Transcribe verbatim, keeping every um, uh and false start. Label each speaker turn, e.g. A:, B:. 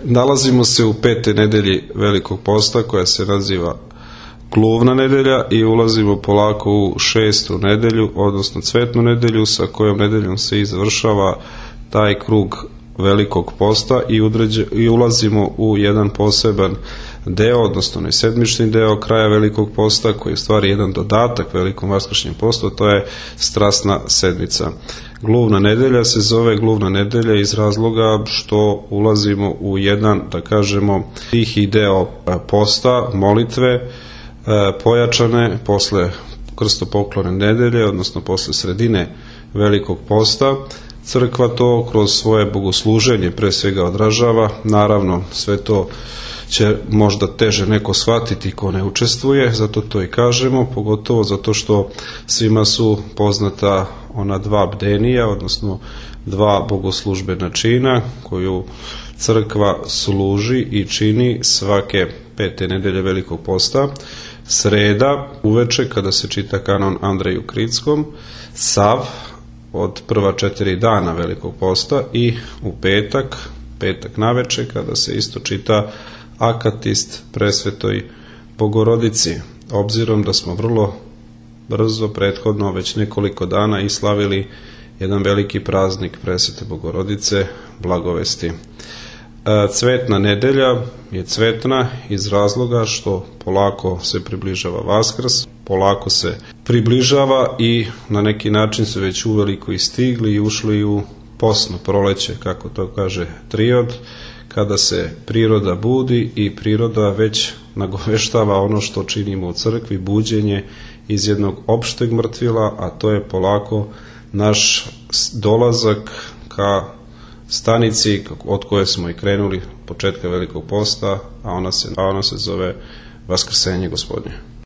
A: nalazimo se u petoj nedelji Velikog posta koja se naziva Gluvna nedelja i ulazimo polako u šestu nedelju, odnosno Cvetnu nedelju, sa kojom nedeljom se izvršava taj krug Velikog posta i, udređe, i ulazimo u jedan poseban deo, odnosno onaj sedmični deo kraja Velikog posta, koji je u stvari jedan dodatak Velikom vaskršnjem postu, to je Strasna sedmica. Gluvna nedelja se zove Gluvna nedelja iz razloga što ulazimo u jedan, da kažemo, tihi deo posta, molitve, pojačane posle krstopoklone nedelje, odnosno posle sredine Velikog posta. Crkva to kroz svoje bogosluženje pre svega odražava. Naravno, sve to će možda teže neko shvatiti ko ne učestvuje, zato to i kažemo, pogotovo zato što svima su poznata ona dva bdenija, odnosno dva bogoslužbena čina koju crkva služi i čini svake pete nedelje Velikog posta. Sreda uveče kada se čita kanon Andreju Kritskom, sav od prva četiri dana Velikog posta i u petak, petak naveče kada se isto čita akatist presvetoj Bogorodici. Obzirom da smo vrlo brzo, prethodno, već nekoliko dana i slavili jedan veliki praznik presvete Bogorodice, Blagovesti. Cvetna nedelja je cvetna iz razloga što polako se približava Vaskrs, polako se približava i na neki način su već uveliko i stigli i ušli u posno proleće, kako to kaže Triod, kada se priroda budi i priroda već nagoveštava ono što činimo u crkvi, buđenje iz jednog opšteg mrtvila, a to je polako naš dolazak ka stanici od koje smo i krenuli početka Velikog posta, a ona se, a ona se zove Vaskrsenje Gospodnje.